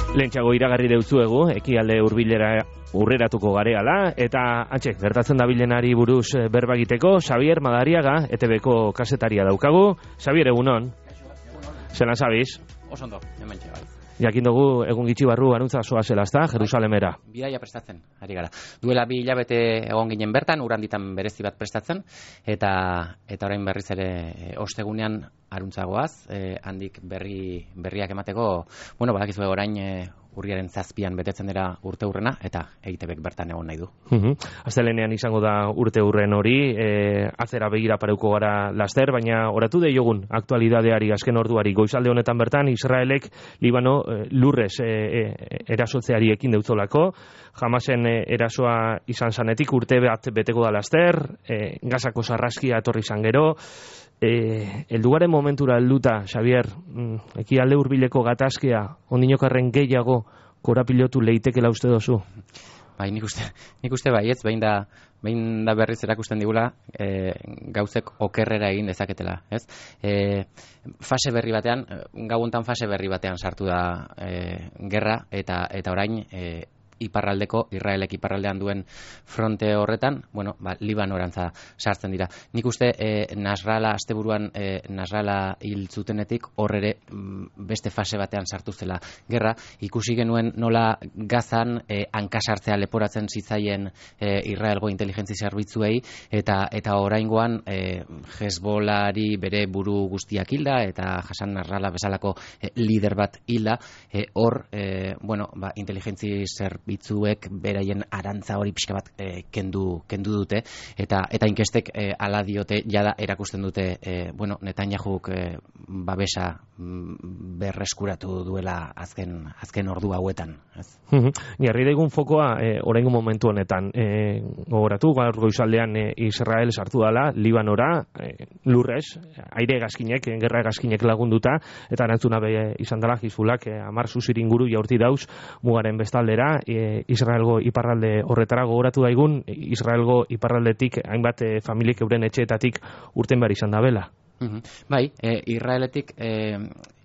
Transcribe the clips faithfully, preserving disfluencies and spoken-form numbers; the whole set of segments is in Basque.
Lehentxago iragarri deutzuegu, ekialde hurbilera urreratuko gareala, eta antxe, gertatzen dabilenari buruz berba egiteko, Xabier Madariaga, E T Bko kasetaria daukagu. Xabier, egunon. Zelan zabiz? Osondo, hemen txegai. Jakin dugu, egun gitxi barru anuntza zoa zelazta, Jerusalemera. Bidaia prestatzen, ari gara. Duela bi hilabete egon ginen bertan, uranditan berezi bat prestatzen, eta eta orain berriz ere ostegunean aruntzagoaz, eh, handik berri berriak emateko, bueno, badakizue orain eh, urriaren zazpian betetzen dira urte hurrena, eta E T Bek bertan egon nahi du. Uh-huh. Astelenean izango da urte hurren hori, e, atzera begira pareuko gara laster, baina oratu deiogun aktualidadeari azken orduari. Goizalde honetan bertan, Israelek Libano e, lurrez e, e, erasotzeari ekin deutzolako, Hamasen e, erasoa izan zanetik urte bat beteko da laster, e, Gazako sarraskia etorri izan gero, E, eldugaren momentura helduta, Xabier, mm, ekialde hurbileko gatazkea, ondinokarren gehiago korapilotu leitekela uste dozu? Bai, nik uste, nik uste bai, ez, behin da, behin da berriz erakusten digula, e, gauzek okerrera egin dezaketela, ez? E, fase berri batean, gauontan fase berri batean sartu da e, gerra, eta, eta orain, e, iparraldeko, Israelek iparraldean duen fronte horretan, bueno, ba, Libanorantza sartzen dira. Nik uste e, Nasrala, asteburuan e, Nasrala hil zutenetik horre beste fase batean sartu zela gerra. Ikusi genuen nola Gazan e, hankasartzea leporatzen zitzaien e, Israelgo inteligentzia zerbitzuei, eta eta oraingoan e, Hezbolari bere buru guztiak hilda, eta Hasan Nasrallah bezalako e, lider bat hilda, e, hor, e, bueno, ba, inteligentzia zerbitzuek bitzuek beraien arantza hori pixka bat e, kendu, kendu dute, eta eta inkestek e, ala diote jada erakusten dute e, bueno, Netanyahuk e, babesa mm, berreskuratu duela azken azken ordu hauetan. Jarri daigun fokoa e, oraingo momentu honetan. E, gogoratu, gaur goizaldean e, Israel sartu dala, Libanora, e, lurrez, aire gazkinek, gerra gazkinek lagunduta, eta erantzuna be izan dela Hizbulak e, hamar zuzir inguru jaurti dauz mugaren bestaldera, e, Israelgo iparralde horretara. Gogoratu daigun, Israelgo iparraldetik hainbat e, familiek euren etxeetatik urten behar izan da bela. Uh-huh. Bai, e, Israeletik e,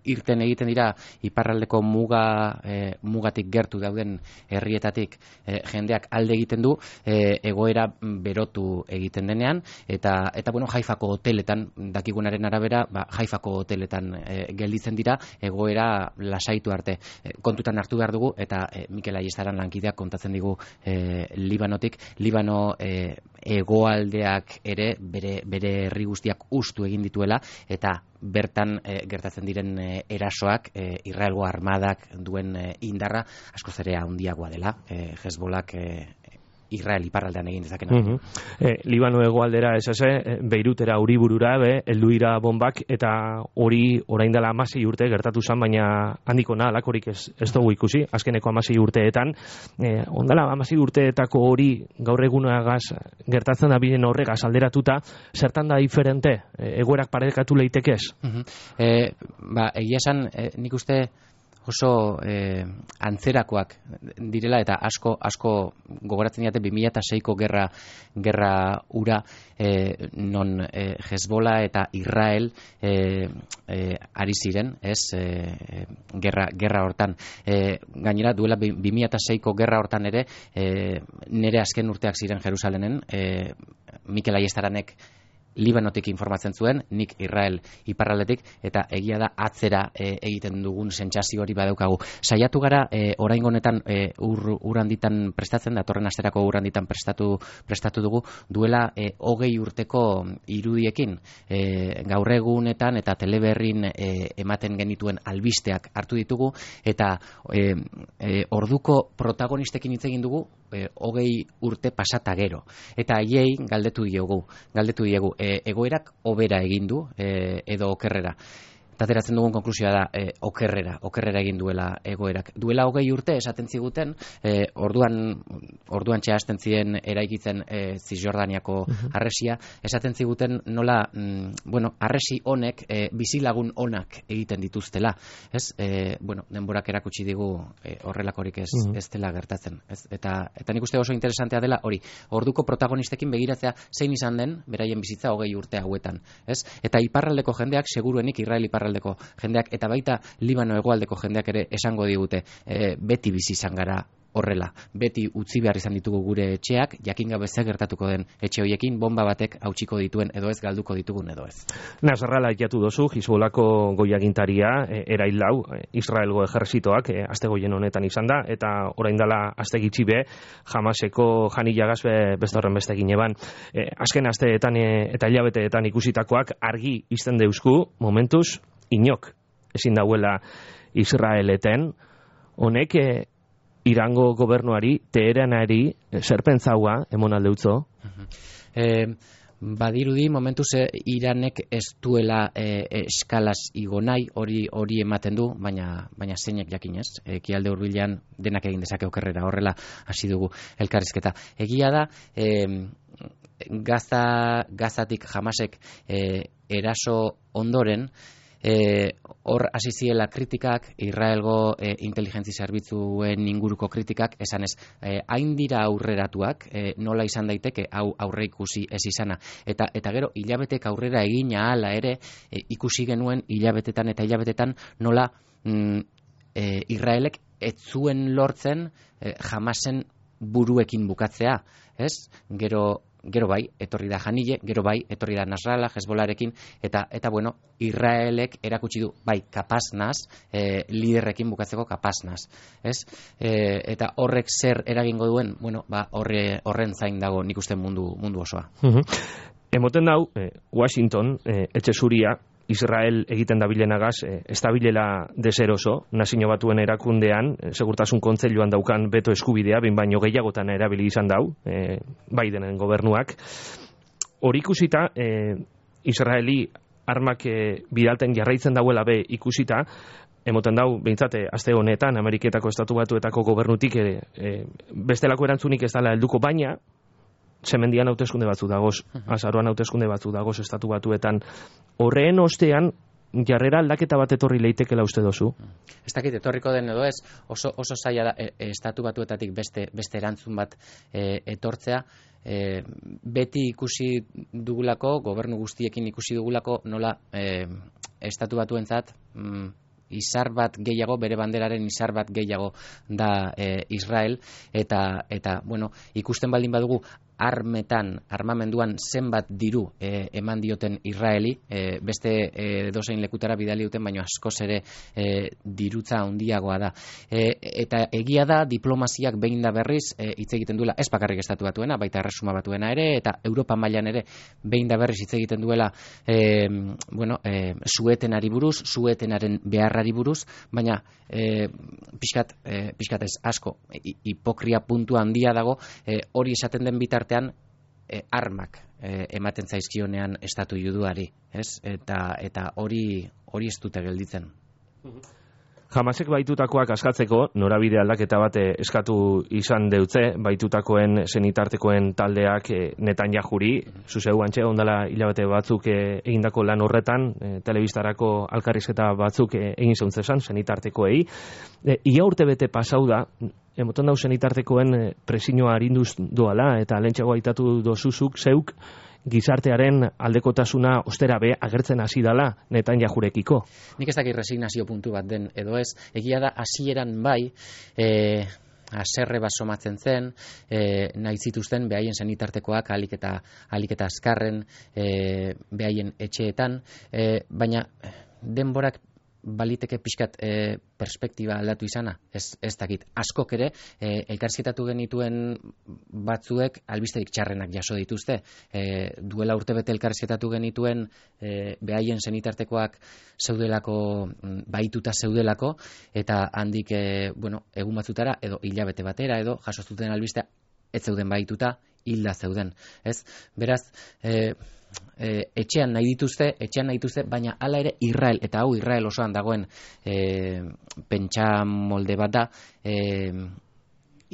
irten egiten dira iparraldeko muga e, mugatik gertu dauden herrietatik e, jendeak alde egiten du e, egoera berotu egiten denean, eta eta bueno, Haifako hoteletan, dakigunaren arabera, ba, Haifako hoteletan e, gelditzen dira egoera lasaitu arte. E, kontutan hartu behar dugu, eta e, Mikel Aiestaran lankideak kontatzen digu e, Libanotik, Libano e, hegoaldeak ere bere bere herri guztiak hustu egin dituela, eta bertan e, gertatzen diren e, erasoak e, Israelgo armadak duen e, indarra askoz ere handiagoa dela. E, Hezbolak e, Israel iparraldean egin dezakena. Uh-huh. e, Libano hegoaldera ez eze, Beirutera Uriburura be, heldu dira bombak, eta hori orain dela hamasei urte gertatu zen, baina handiko na, alakorik ez, ez dugu ikusi, azkeneko hamasei urteetan. E, ondala hamasei urteetako hori gaur egunagaz gertatzen da bilen horregaz alderatuta, zertan da diferente, e, egoerak parekatu leitekez? Uh-huh. e, ba, egia esan, e, nik uste oso eh, antzerakoak direla, eta asko asko gogoratzen diate bi mila seiko gerra gerra ura, eh, non eh, Hezbollah eta Israel eh, eh, ari ziren, ez, eh, gerra gerra hortan. Eh, gainera duela bi mila seiko gerra hortan ere, eh, nire azken urteak ziren Jerusalenen, eh, Mikel Aiestaranek Libanotik informatzen zuen, nik Israel iparraldetik, eta egia da atzera e, egiten dugun sentsazio hori badaukagu. Saiatu gara e, oraingo honetan e, ur, uranditan prestatzen, datorren asterako uranditan prestatu prestatu dugu, duela e, hogei urteko irudiekin, e, gaur egunetan eta teleberrin e, ematen genituen albisteak hartu ditugu, eta e, e, orduko protagonistekin hitz egin dugu e, hogei urte pasata gero, eta haiei galdetu diogu, galdetu diegu E, egoerak hobera egin du e, edo okerrera. Eta ateratzen dugun konklusioa da e, okerrera, okerrera egin duela egoerak. Duela hogei urte esaten ziguten, e, orduan orduan txehasten ziren eraikitzen e, Zisjordaniako uh-huh. arresia, esaten ziguten nola, mm, bueno, arresi honek e, bizilagun onak egiten dituztela. Ez? E, bueno, denborak erakutsi digu e, horrelakorik ez, uh-huh. ez dela gertatzen. Ez? Eta, eta nik uste oso interesantea dela hori, orduko protagonistekin begiratzea zein izan den beraien bizitza hogei urte hauetan. Ez? Eta iparraldeko jendeak seguruenik Israel iparraldeko iparraldeko jendeak, eta baita Libano hegoaldeko jendeak ere esango digute, e, beti bizi izan gara horrela, beti utzi behar izan ditugu gure etxeak, jakin gabe zer gertatuko den etxe horiekin, bomba batek hautsiko dituen edo ez, galduko ditugun edo ez. Nasrallah aipatu dozu, Hizbolako goiagintaria, e, erail lau, e, Israelgo ejerzitoak, e, aste goien honetan izan da, eta orain dela aste gitxi be, Hamaseko janilagaz be, beste horren beste egin eban. E, azken asteetan e, eta hilabeteetan ikusitakoak argi izten deusku, momentuz, inok, ezin dauela Israeleten, honek, e, Irango gobernuari, Teheranari, zerpentzaua, emon aldeutzo? Eh, badirudi, momentuz eh, Iranek ez duela eh, eskalaz igo nahi, hori hori ematen du, baina baina zeinek jakinez, ekialde hurbilean denak egin dezake okerrera, horrela hasi dugu elkarrizketa. Egia da, eh, Gaza, Gazatik Hamasek eh, eraso ondoren, E, hor hasi ziela kritikak, Israelgo e, inteligentzi zerbitzuen inguruko kritikak, esanez, e, hain dira aurreratuak, e, nola izan daiteke hau aurre ikusi ez izana. Eta, eta gero, hilabetek aurrera egina hala ere, e, ikusi genuen hilabetetan eta hilabetetan nola mm, e, Israelek ez zuen lortzen e, Hamasen buruekin bukatzea, ez? Gero Gero bai, etorri da Janile, gero bai, etorri da Nasrallah, Hezbollarekin, eta, eta bueno, Israelek erakutsi du, bai, kapaz naz, e, liderrekin bukatzeko kapaz naz, ez? E, eta horrek zer eragingo duen, bueno, ba, horre, horren zain dago nik uste mundu, mundu osoa. Uh-huh. Emoten dau, eh, Washington, eh, etxe zuria, Israel egiten dabilenagaz, eh, ez dabilela deseroso, nazio batuen erakundean, eh, segurtasun kontseiluan daukan beto eskubidea, behin baino gehiagotan erabili izan dau, eh, Bidenen gobernuak. Hori ikusita, eh, Israeli armak eh, bidalten jarraitzen dauela be ikusita, emoten dau, behintzate, aste honetan, Ameriketako Estatu Batuetako gobernutik eh, eh, bestelako erantzunik ez dela helduko, baina Zemendian hauteskunde batzu dagoz, azaroan hauteskunde batzu dagoz Estatu Batuetan. Horreen ostean, jarrera aldaketa bat etorri leitekela uste dozu? Ez dakit etorriko den edo ez, oso, oso zaila da, e, e, Estatu Batuetatik beste, beste erantzun bat e, etortzea, e, beti ikusi dugulako, gobernu guztiekin ikusi dugulako, nola e, Estatu Batuentzat, mm, izar bat gehiago, bere banderaren izar bat gehiago da e, Israel, eta, eta bueno, ikusten baldin badugu, armetan, armamenduan zenbat diru e, eman dioten Israeli, e, beste e, dozein lekutara bidali duten, baino askoz ere e, dirutza handiagoa da. E, eta egia da, diplomaziak behin da berriz e, hitz egiten duela, ez bakarrik Estatu Batuena, baita Erresuma Batuena ere, eta Europa mailan ere behin da berriz hitz egiten duela e, bueno, e, suetenari buruz, suetenaren beharrari buruz, baina e, pixkat, e, pixkat ez asko, hipokria puntua handia dago, e, hori esaten den bitar artean e, armak e, ematen zaizkionean estatu juduari, ez? Eta eta hori hori ez dute gelditzen. Hamasek baitutakoak askatzeko norabide aldaketa bat eskatu izan deutze, baitutakoen senitartekoen taldeak e, Netanyahuri, zuzeu antxe ondala hilabete batzuk e, egindako lan horretan, e, telebistarako alkarrizketa batzuk e, egin zeuntzezan, senitartekoei. E, ia urte bete pasau da, emoten dau senitartekoen e, presioa arinduz doala, eta lehentxeago aitatu dozuzuk zeuk, gizartearen aldekotasuna ostera be agertzen hasi dala Netanyahurekiko. Nik ez dakit resignazio puntu bat den edo ez, egia da hasieran bai, e, haserre bat somatzen zen, e, nahi zituzten behaien senitartekoak alik eta, alik eta azkarren e, behaien etxeetan, e, baina denborak baliteke pixkat e, perspektiba aldatu izana, ez, ez dakit. Askok ere, e, elkarrizketatu genituen batzuek albisterik txarrenak jaso dituzte. E, duela urtebete elkarrizketatu genituen e, behaien senitartekoak zeudelako, baituta zeudelako, eta handik, e, bueno, egun batzutara, edo hilabete batera, edo jaso zuten albistea, ez zeuden baituta, hilda zeuden. Ez? Beraz, e, E, etxean nahi dituzte, etxean nahi dituzte, baina hala ere Israel, eta hau Israel osoan dagoen e, pentsa molde bat da, e,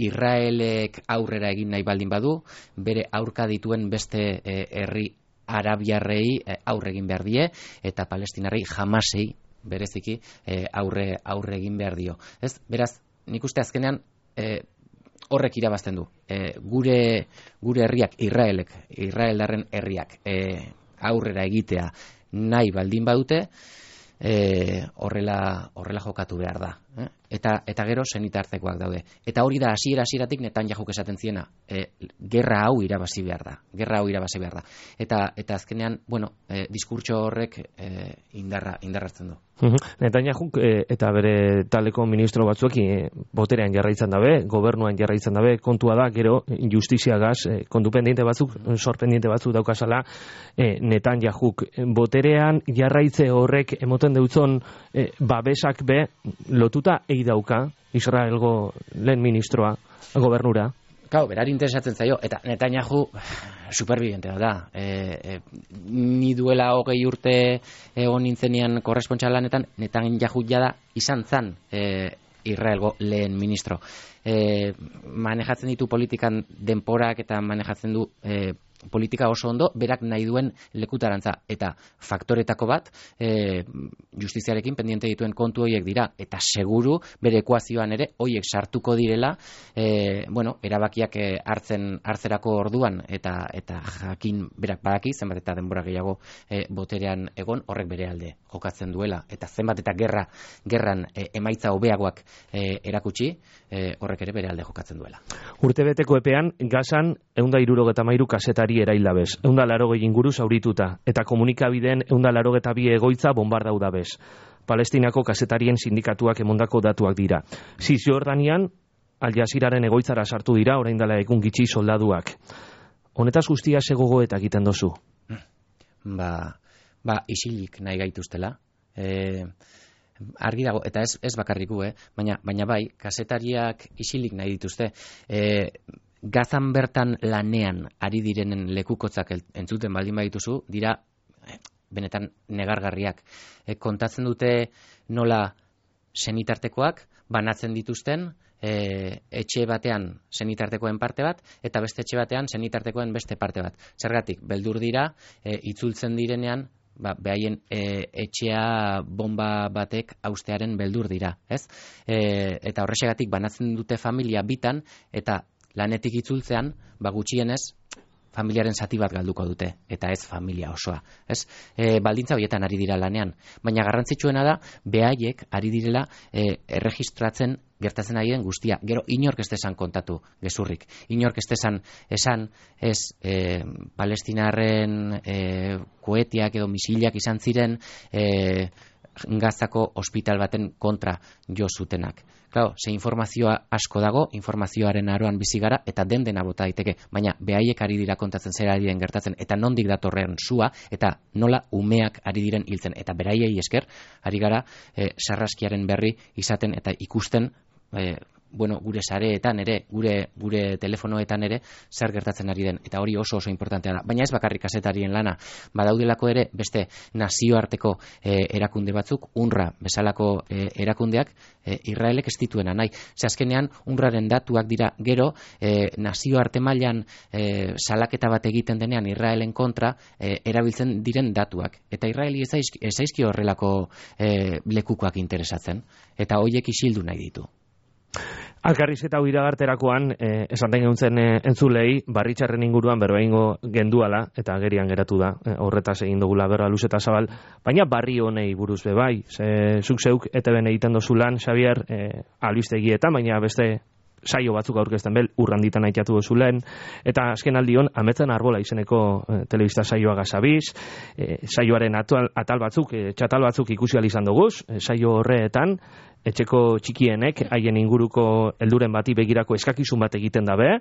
Israelek aurrera egin nahi baldin badu, bere aurka dituen beste e, herri arabiarrei e, aurre egin behar die, eta palestinarrei Hamasei bereziki e, aurre, aurre egin behar dio. Ez? Beraz, nik uste azkenean e, horrek irabazten du. E, gure gure herriak, Israelek, Israeldarren herriak e, aurrera egitea nahi baldin badute, e, horrela, horrela jokatu behar da. Eh? Eta, eta gero senitartekoak daude. Eta hori da hasiera hasieratik Netanyahuk esaten ziena, e, gerra hau irabazi behar da. Gerra hau irabazi behar da. Eta, eta azkenean, bueno, e, diskurtso horrek e, indarra, indarratzen du. Netanyahuk e, eta bere taleko ministro batzuekin e, boterean jarraitzen dabe, gobernuan jarraitzen dabe, kontua da, gero justiziagaz, e, kontu pendiente batzuk, sorpendiente batzuk daukazala, e, Netanyahuk boterean jarraitze horrek emoten deutzon e, babesak be, lotuta egi dauka, Israelgo lehen ministroa, gobernura. Kau, berari interesatzen zaio, eta Netanyahu superbibentea da. E, e, ni duela hogei urte egon nintzenean korrespontxalanetan, Netanyahu jada izan zan e, Israelgo lehen ministro. E, manejatzen ditu politikan denporak eta manejatzen du e, politika oso ondo, berak nahi duen lekutarantza. Eta faktoretako bat, e, justiziarekin pendiente dituen kontu horiek dira. Eta seguru, bere ekuazioan ere, horiek sartuko direla, e, bueno, erabakiak hartzen hartzerako orduan, eta eta jakin berak badaki, zenbat eta denbora gehiago e, boterean egon, horrek bere alde jokatzen duela. Eta zenbat eta gerra, gerran e, emaitza hobeagoak e, erakutsi, e, horrek ere bere alde jokatzen duela. Urtebeteko epean, Gazan, ehun hirurogeta hamairu kazetari eraildabez, ehun laurogei inguru zaurituta, eta komunikabideen ehun laurogeta bi egoitza bombardau dabez. Palestinako kazetarien sindikatuak emondako datuak dira. Zizjordanian, Al Jaziraren egoitzara sartu dira, orain dela egun gitxi soldaduak. Honetaz guztia segogo eta egiten dozu? Ba, ba isilik nahi gaituztela. E, argi dago, eta ez, ez bakarriku, eh? baina, baina bai, kazetariak isilik nahi dituzte. E, Gazan bertan lanean ari direnen lekukotzak entzuten baldin badituzu, dira benetan negargarriak. E, kontatzen dute nola senitartekoak banatzen dituzten, e, etxe batean senitartekoen parte bat, eta beste etxe batean senitartekoen beste parte bat. Zergatik, beldur dira, e, itzultzen direnean, ba, behaien e, etxea bomba batek haustearen beldur dira. Ez? E, eta horrexegatik banatzen dute familia bitan, eta lanetik itzultzean, ba gutxienez, familiaren zati bat galduko dute, eta ez familia osoa. Ez? E, baldintza horietan ari dira lanean. Baina garrantzitsuena da, behaiek ari direla e, erregistratzen gertatzen ari den guztia. Gero, inork ez desan kontatu gezurrik. Inork ez desan esan, ez, e, palestinarren e, koetiak edo misilak izan ziren e, Gazako ospital baten kontra jo zutenak. Claro, ze informazioa asko dago, informazioaren aroan bizi gara, eta den dena bota daiteke, baina behaiek ari dira kontatzen zer ari den gertatzen, eta nondik datorren sua, eta nola umeak ari diren hiltzen, eta beraiei esker, ari gara e, sarraskiaren berri izaten eta ikusten, e, bueno, gure sareetan ere, gure gure telefonoetan ere, zer gertatzen ari den, eta hori oso oso importantea da. Baina ez bakarrik kazetarien lana, badaudelako ere beste nazioarteko e, erakunde batzuk, UNRWA bezalako e, erakundeak, e, Israelek ez dituena nahi. Ze azkenean UNRWAren datuak dira gero, e, nazioarte mailan e, salaketa bat egiten denean Israelen kontra, e, erabiltzen diren datuak. Eta Israeli ez zaizki horrelako e, lekukoak interesatzen, eta hoiek isildu nahi ditu. Alkarrizketa hau iragarterakoan, eh, esan den geuntzen eh, entzulei, barritxarren inguruan berbaingo genduala, eta gerian geratu da, eh, horretaz egin dugula berra luz eta zabal, baina barri honei buruz be bai, ze, zuk zeuk E T B egiten dozu lan, Xabier, eh, albistegietan, baina beste saio batzuk aurkezten bel, urranditan aitatu dozu lehen, eta azken aldion, Ametzen Arbola izeneko eh, telebista saioa gazabiz, eh, saioaren atal, atal batzuk, eh, txatal batzuk ikusi izan duguz, eh, saio horreetan, etxeko txikienek haien inguruko helduren bati begirako eskakizun bat egiten dabe,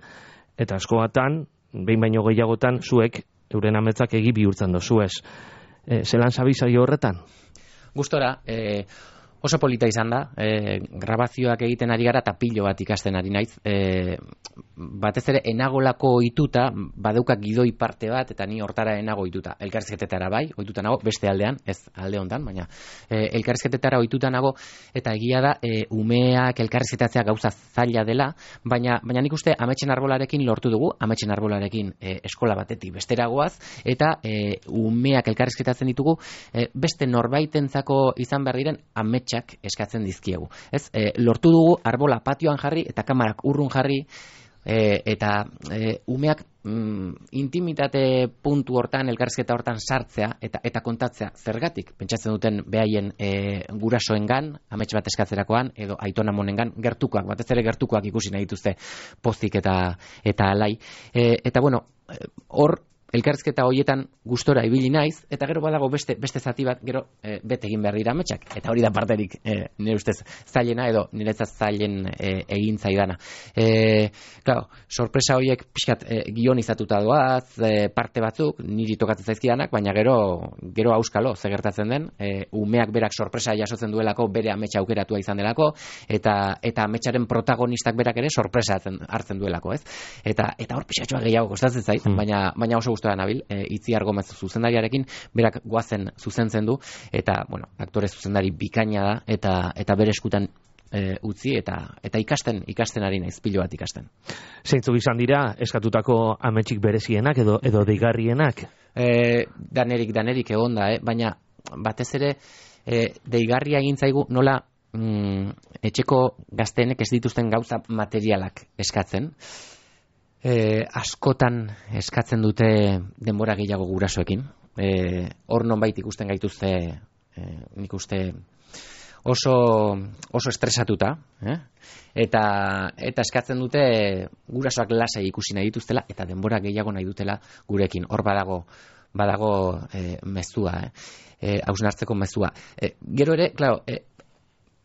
eta asko batan, behin baino gehiagotan, zuek euren ametzak egi bihurtzen dozu ez. E, zelan sabizaio horretan? Gustora, eh, oso polita izan da, e, grabazioak egiten ari gara eta pilo bat ikasten ari naiz. E, batez ere enagolako ohituta, badauka gidoi parte bat, eta ni hortara enago ohituta. Elkarrizketetara bai, ohituta nago, beste aldean, ez alde hontan, baina e, elkarrizketetara ohituta nago, eta egia da, e, umeak elkarrizketatzea gauza zaila dela, baina, baina nik uste Ametsen Arbolarekin lortu dugu, Ametsen Arbolarekin e, eskola batetik besteragoaz, eta e, umeak elkarrizketatzen ditugu, e, beste norbaitentzako izan behar diren ametsak eskatzen dizkiegu. Ez, e, lortu dugu arbola patioan jarri eta kamarak urrun jarri, e, eta e, umeak mm, intimitate puntu hortan, elkarrizketa hortan sartzea eta eta kontatzea zergatik pentsatzen duten behaien e, gurasoengan, amets bat eskatzerakoan edo aitonamonengan gertukoak, batez ere gertukoak ikusi nahi dituzte pozik eta eta alai. E, eta bueno, hor elkarrizketa hoietan gustora ibili naiz, eta gero badago beste beste zati bat, gero e, bete egin behar dira ametsak, eta hori da parterik e, nire ustez zailena edo niretzat zailen e, egin zaidana. E, claro, sorpresa horiek pixkat e, gionizatuta doaz, e, parte batzuk, niri tokatzen zaizkidanak, baina gero gero auskalo, ze gertatzen den, e, umeak berak sorpresa jasotzen duelako, bere ametsa aukeratua izan delako, eta eta ametsaren protagonistak berak ere sorpresa hartzen duelako, ez? Eta eta hor pixatxoa gehiago kostatzen zait, mm. baina baina oso gustora nabil, e, Itziar Gomez zuzendariarekin, berak goazen zuzentzen du, eta, bueno, aktore zuzendari bikaina da, eta eta bere eskutan e, utzi, eta eta ikasten, ikasten ari naiz, pilo bat ikasten. Zeintzuk izan dira, eskatutako ametsik berezienak, edo edo deigarrienak? E, danerik, danerik egon da, eh? Baina, batez ere, e, deigarria egin zaigu nola mm, etxeko gazteenek ez dituzten gauza materialak eskatzen, E, askotan eskatzen dute denbora gehiago gurasoekin. E, hor nonbait ikusten gaituzte, e, nik uste oso, oso estresatuta, eh? eta, eta eskatzen dute gurasoak lasai ikusi nahi dituztela, eta denbora gehiago nahi dutela gurekin. Hor badago, badago e, mezua, eh? e, hausnartzeko mezua. E, gero ere, klaro, e,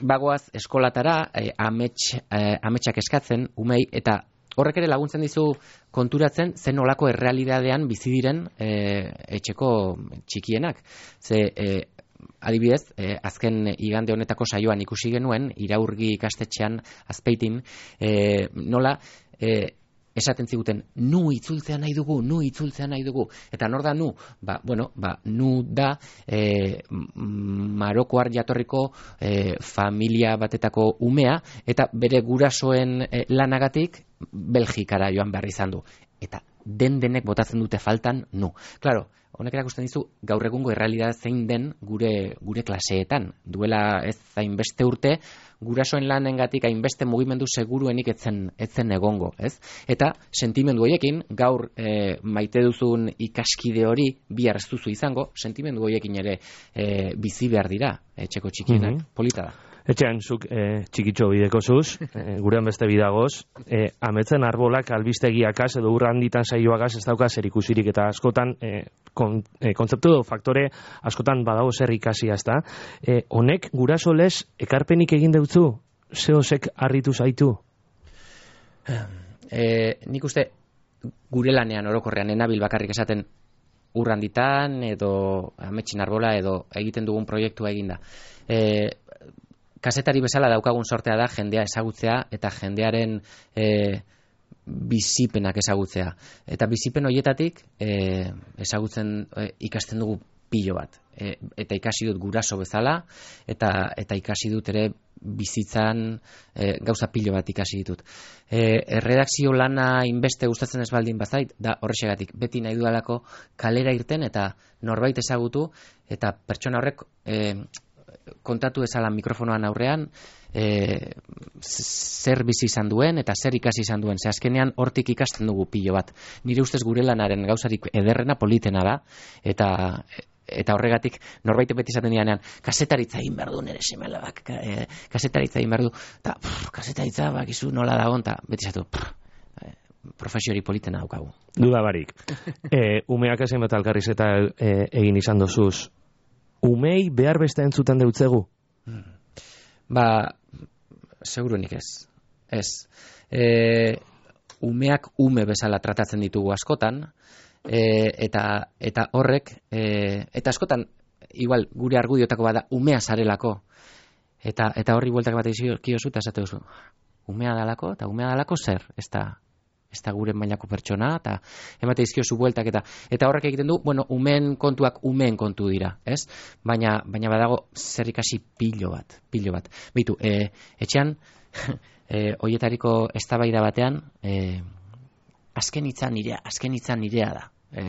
bagoaz eskolatara, e, amets, e, ametsak eskatzen, umei, eta horrek ere laguntzen dizu konturatzen zen olako errealidadean bizi diren e, etxeko txikienak. Ze, e, adibidez, e, azken igande honetako saioan ikusi genuen, Iraurgi ikastetxean Azpeitin, e, nola e, esaten ziguten, nu itzultzea nahi dugu, nu itzultzea nahi dugu. Eta nor da nu? Ba, bueno, ba, nu da e, Marokoar jatorriko e, familia batetako umea, eta bere gurasoen e, lanagatik Belgikara joan behar izan du. Eta den denek botatzen dute faltan nu. Claro, honek erakusten dizu gaur egungo errealitatea zein den gure gure klaseetan. Duela ez hainbeste urte, gurasoen lanengatik hainbeste mugimendu seguruenik etzen etzen egongo, ez? Eta sentimendu horiekin gaur e, maite duzun ikaskide hori bihar ez duzu izango, sentimendu horiekin ere e, bizi behar dira etxeko txikienak. Mm-hmm. Polita da. Etxean, zuk e, txikitxo bideko zuz, e, gurean beste bidagoz, e, ametzen arbolak albistegiakaz edo urra handitan saioagaz ez dauka zer ikusirik, eta askotan e, kon, e, kontzeptu edo faktore askotan badago zer ikasia, ez da. E, honek guraso lez ekarpenik egin deutzu? Zehozek harritu zaitu? E, nik uste gure lanean orokorrean enabil bakarrik esaten urra handitan edo ametsin arbola edo egiten dugun proiektua eginda. E, Kazetari bezala daukagun sortea da jendea ezagutzea eta jendearen e, bizipenak ezagutzea. Eta bizipen horietatik e, ezagutzen e, ikasten dugu pilo bat. E, eta ikasi dut guraso bezala eta eta ikasi dut ere bizitzan e, gauza pilo bat ikasi ditut. E, erredakzio lana inbeste gustatzen ez baldin bazait, da horrexegatik beti nahi dudalako kalera irten eta norbait ezagutu eta pertsona horrek e, kontatu ezala mikrofonoan aurrean e, zer bizi izan duen eta zer ikasi izan duen. Ze azkenean hortik ikasten dugu pilo bat. Nire ustez gure lanaren gauzarik ederrena politena da eta eta horregatik norbait beti izaten dianean kazetaritza egin behar du nire semelabak, e, kazetaritza egin behar du eta kazetaritza bakizu nola dagoen eta beti izatu e, profesiori politena daukagu. Duda barik. e, umeak ezen bat alkarriz eta e, egin izan dozuz. Umei behar beste entzuten deutzegu? Hmm. Ba, seguruenik ez. Ez. E, umeak ume bezala tratatzen ditugu askotan, e, eta, eta horrek, e, eta askotan, igual, gure argudiotako bada, umea zarelako. Eta, eta horri bueltak bat egiziozu, eta esate duzu. Umea dalako, eta umea dalako zer? Ez da, ez da gure mailako pertsona, eta emate izkiozu bueltak, eta eta horrek egiten du, bueno, umeen kontuak umeen kontu dira, ez? Baina, baina badago zer ikasi pilo bat, pilo bat. Beitu, e, etxean, e, oietariko eztabaida batean, e, azken hitza nirea, azken hitza nirea da. E,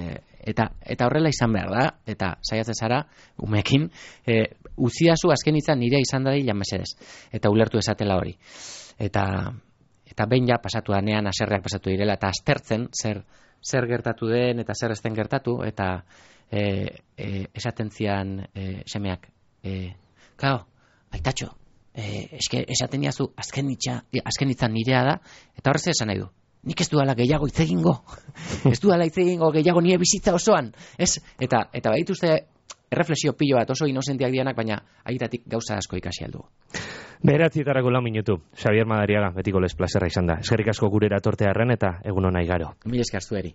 eta, eta horrela izan behar da, eta saiatzen zara, umeekin, e, uziazu azken hitza nirea izan dadila mesedez, eta ulertu esatela hori. Eta eta behin ja pasatu danean haserreak pasatu direla, eta aztertzen zer, zer gertatu den eta zer ez den gertatu, eta e, e, esaten zian e, semeak, e, kao, aitatxo, e, eske esaten diazu azken hitza, azken hitza nirea da, eta horrez esan nahi du. Nik ez duala gehiago hitz egingo. Ez duala hitz egingo gehiago nire bizitza osoan. Ez? Eta, eta badituzte erreflexio pilo bat oso inosentiak dianak, baina aitatik gauza asko ikasi aldu. Beratzitarako lau minutu. Xabier Madariaga, betiko les plazerra izan da. Eskerrik asko gurera tortearren eta egun ona igaro. Mil esker zueri.